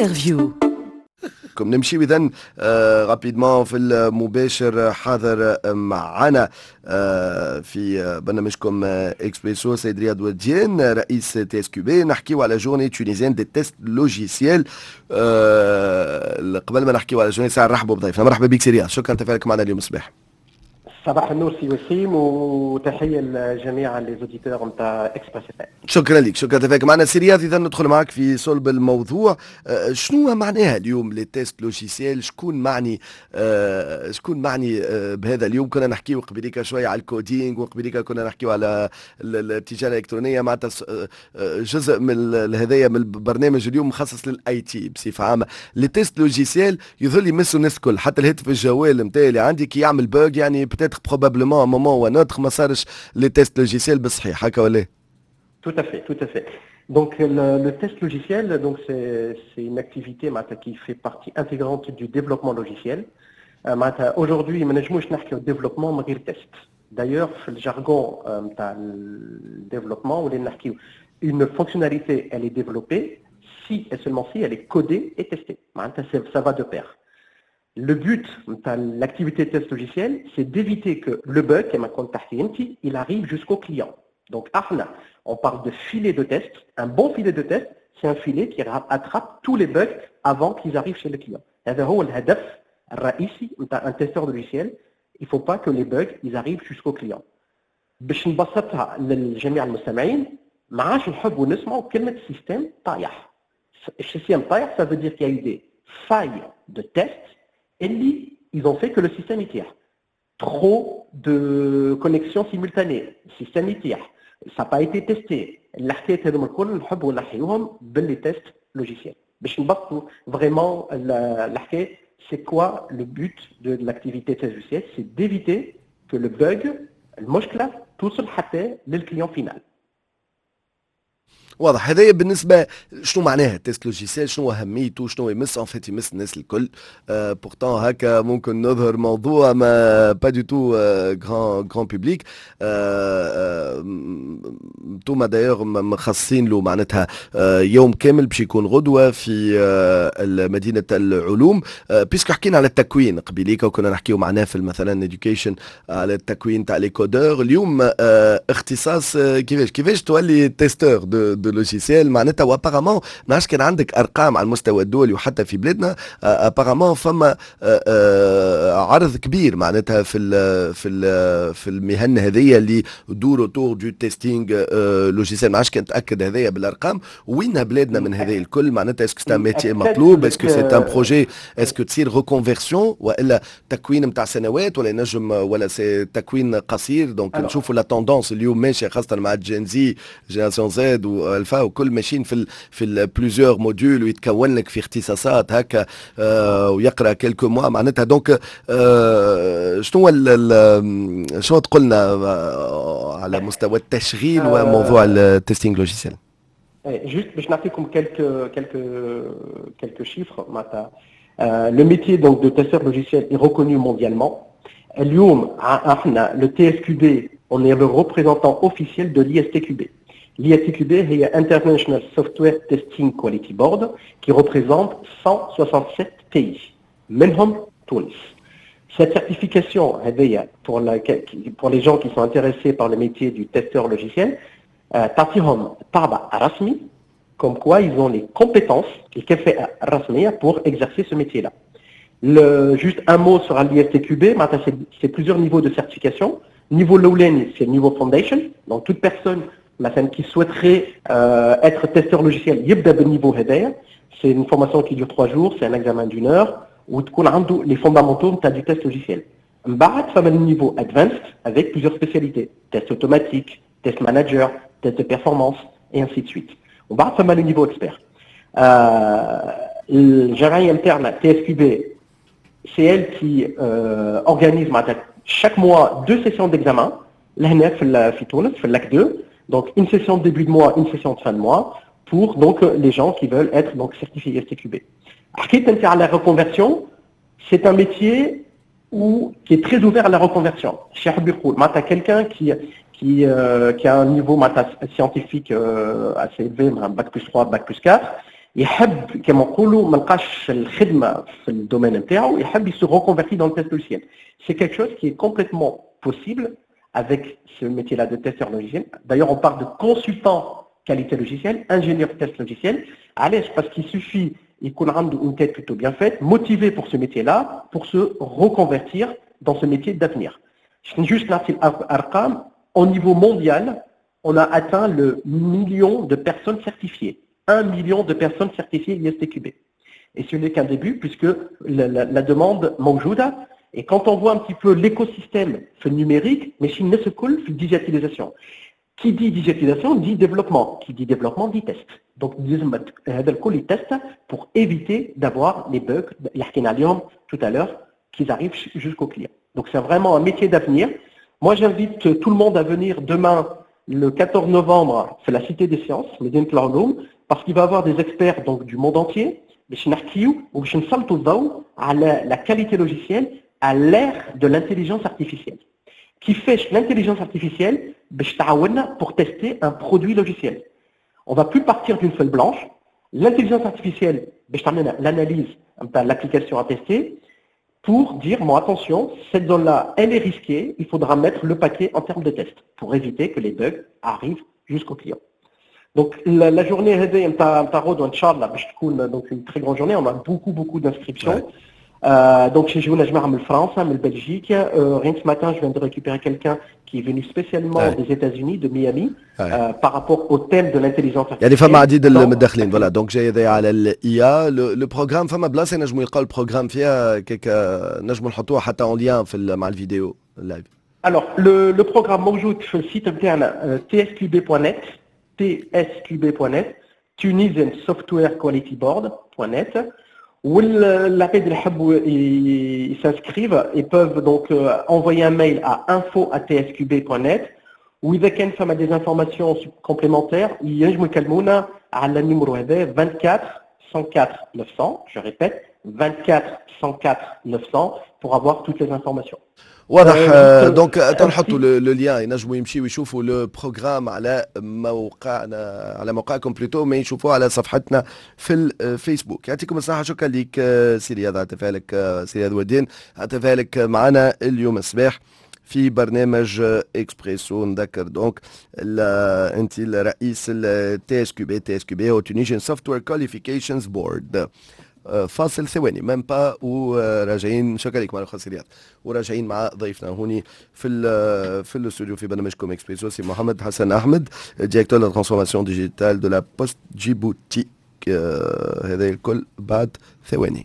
Interview. كم نمشي اذا rapidement في المباشر، حاضر معنا في برنامجكم اكسبريسو سيد رياض وديان، رئيس TSQB، نحكيو على journée tunisienne des tests logiciels. قبل ما نحكيو على journée، ساعة نرحبوا بضيفنا. مرحبا بك سي رياض، شكرا تفاعلك معنا اليوم الصباح. صباح النور سي وسيم، وتحية لجميع les auditeurs نتاع Express. شكرا لك، شكرا تفاعلك معنا سي رياض. اذا ندخل معك في صلب الموضوع. شنو معناها اليوم les tests logiciels؟ شكون معني بهذا؟ اليوم كنا نحكيو قبليك شوية على ال coding، وقبليك كنا نحكيو على التجارة الالكترونيه، معناتها جزء من هذايا من البرنامج اليوم مخصص لل IT بصفة عامه. les tests logiciels يظل يمسوا الناس الكل، حتى الهاتف الجوال نتاعي اللي عندي كي يعمل bug، يعني peut-être probablement moment ou un autre ما صارش les tests logiciels بالصحيح، هكا ولا؟ Tout à fait, tout à fait. Donc le test logiciel, donc c'est une activité معناتها qui fait partie intégrante du développement logiciel. معناتها aujourd'hui ما نجموش نحكيو développement من غير test. D'ailleurs في ال jargon نتاع ال développement ولينا نحكيو une fonctionnalité, elle est développée si et seulement si elle est codée et testée. معناتها ça va de pair. Le but de l'activité de test logiciel, c'est d'éviter que le bug, il arrive jusqu'au client. Donc, احنا on parle de filet de test. Un bon filet de test, c'est un filet qui attrape tous les bugs avant qu'ils arrivent chez le client. هذا هو الهدف الرئيسي نتاع un testeur de logiciel. Il ne faut pas que les bugs ils arrivent jusqu'au client. باش نبسطها للجميع المستمعين، ما عادش نحبوا نسمعوا كلمة système طايح. ال système طايح، ça veut dire qu'il y a eu des failles de test اللي ils ont fait que le système يطيح. Trop de connexions simultanées, le système يطيح. Ça n'a pas été testé. الحكايات هذوما الكل نحبوا نحيوهم ب les tests logiciels. باش نبسطوا vraiment الحكايه، c'est quoi le but de l'activité test logiciel؟ C'est d'éviter que le bug، المشكله، توصل حتى لل client final. واضح. هذايا بالنسبة شنو معناها test logiciel، شنو اهميته، شنو يمس. en fait يمس الناس الكل. Pourtant هكا ممكن نظهر موضوع ما pas du tout grand public. انتوما d'ailleurs مخصصين له معناتها يوم كامل باش يكون غدوه في مدينة العلوم. Puisque حكينا على التكوين قبيليك وكنا نحكيو معناه في مثلا education على التكوين تاع les codeurs، اليوم اختصاص كيفاش تولي testeur de logiciel معناتها؟ و apparemment ما نعرفش كان عندك ارقام على المستوى الدولي وحتى في بلادنا، apparemment فما عرض كبير معناتها في المهن هذيا اللي دور autour du testing logiciel. ما عادش كان تاكد هذايا بالارقام، وين بلادنا من هذه الكل معناتها؟ Est-ce que c'est un métier مطلوب؟ Est-ce que c'est un projet؟ Est-ce que تصير reconversion والا تكوين نتاع سنوات ولا ينجم ولا c'est تكوين قصير؟ Donc نشوفوا la tendance اليوم ماشية خاصة مع Gen Z، génération Z و alpha وكل، ماشيين في plusieurs modules ويتكون لك في اختصاصات هكا ويقرا quelques mois معناتها. Donc شنو تقولنا على مستوى التشغيل وموضوع ال testing logiciel؟ Juste باش نعطيكم quelques chiffres معناتها le métier donc de testeur logiciel est reconnu mondialement. اليوم احنا le TSQB, on est le représentant officiel de l'ISTQB. L'ISTQB هي International Software Testing Quality Board qui représente 167 pays منهم تونس. Cette certification هذيا pour les gens qui sont intéressés par le métier du testeur logiciel تعطيهم طابع رسمي comme quoi ils ont les compétences الكفاءة الرسمية pour exercer ce métier-là. Juste un mot sur l'ISTQB, معناتها c'est plusieurs niveaux de certification. Niveau الأولاني, c'est le niveau foundation. Donc toute personne مثلا qui souhaiterait être testeur logiciel يبدا بال niveau هذايا. C'est une formation qui dure 3 jours, c'est un examen d'une heure وتكون عنده les fondamentaux نتاع du test logiciel. من بعد فما le niveau advanced avec plusieurs spécialités: test automatique, test manager, test de performance et ainsi de suite. ومن بعد فما le niveau expert. الجمعية نتاعنا TSQB, c'est elle qui organise معناتها chaque mois deux sessions d'examen لهنا في تونس في Lac 2. Donc une session de début de mois, une session de fin de mois pour donc les gens qui veulent être donc certifiés ISTQB. حكيت انت على la reconversion, c'est un métier qui est très ouvert à la reconversion. شي حب يقول معناتها quelqu'un qui a un niveau معناتها scientifique assez élevé, un bac plus 3, bac plus 4, يحب كما نقولوا ما لقاش الخدمه في ال domaine نتاعو، يحب se reconvertir dans le test logiciel. C'est quelque chose qui est complètement possible avec ce métier-là de testeur logiciel. D'ailleurs, on parle de consultant qualité logicielle, ingénieur test logiciel. علاش؟ Parce qu'il suffit يكون عنده une tête plutôt bien faite, motivé pour ce métier-là, pour se reconvertir dans ce métier d'avenir. Juste نعطي الأرقام, au niveau mondial, on a atteint le million de personnes certifiées. 1 million de personnes certifiées ISTQB. Et ce n'est qu'un début puisque la demande موجودة. Et quand on voit un petit peu l'écosystème numérique, ماشي الناس الكل في digitalisation. Qui dit digitalisation dit développement. Qui dit développement dit test. Donc هذا الكل test pour éviter d'avoir les bugs اللي حكينا عليهم tout à l'heure qui arrivent jusqu'au client. Donc c'est vraiment un métier d'avenir. Moi, j'invite tout le monde à venir demain, le 14 novembre, في la Cité des Sciences, مدينة العلوم, parce qu'il va y avoir des experts donc, du monde entier, باش نحكيو وباش نسلطوا الضوء على la qualité logicielle à l'ère de l'intelligence artificielle. كيفاش l'intelligence artificielle باش تعاوننا pour tester un produit logiciel. On va plus partir d'une feuille blanche. L'intelligence artificielle باش تعمل l'analyse نتاع l'application à tester pour dire, bon, attention, cette zone-là, elle est risquée, il faudra mettre le paquet en termes de test pour éviter que les bugs arrivent jusqu'au client. Donc la journée هذه نتاع غدوة ان شاء الله باش تكون donc une très grande journée, on a beaucoup beaucoup d'inscriptions. Donc يجونا جماعة من فرنسا، من Belgique. Rien que ce matin, je viens de récupérer quelqu'un qui est venu spécialement des États-Unis, de Miami, par rapport au thème de l'intelligence artificielle. يعني فما عديد المتدخلين، voilà، donc جاي هذا على ال IA، le programme، فما بلاصه نجموا يلقاو ال programme فيها كيك نجموا نحطوها حتى en lien في مع الفيديو ال live؟ Alors, le programme موجود في ال site نتاعنا tsqb.net, tsqb.net, Tunisian Software Quality Board.net. والعباد اللي يحبوا s'inscrivent, ils peuvent donc envoyer un mail à info@tsqb.net، وإذا كان فما des informations complémentaires ينجموا يكلمونا على ال numéro هذا 24 104 900, je répète, 24 104 900, pour avoir toutes les informations. واضح، donc تنحطوا le lien، ينجموا يمشيوا يشوفوا le programme على موقعنا، على موقعكم plutôt، ما يشوفوه على صفحتنا في الفيسبوك. يعطيكم الصحة، شكرا لك سي رياض على تفاعلك، سي رياض ودين على تفاعلك معنا اليوم الصباح في برنامج اكسبريسو. نذكر donc انت الرئيس ال TSQB، TSQB هو Tunisian Software Qualifications Board. فاصل ثواني même pas وراجعين. شكرا لك مرة أخرى رياض، وراجعين مع ضيفنا هوني في الاستوديو في برنامجكم اكسبريسو، سي محمد حسن احمد، directeur de transformation digitale de la Poste Djibouti. هذا الكل بعد ثواني.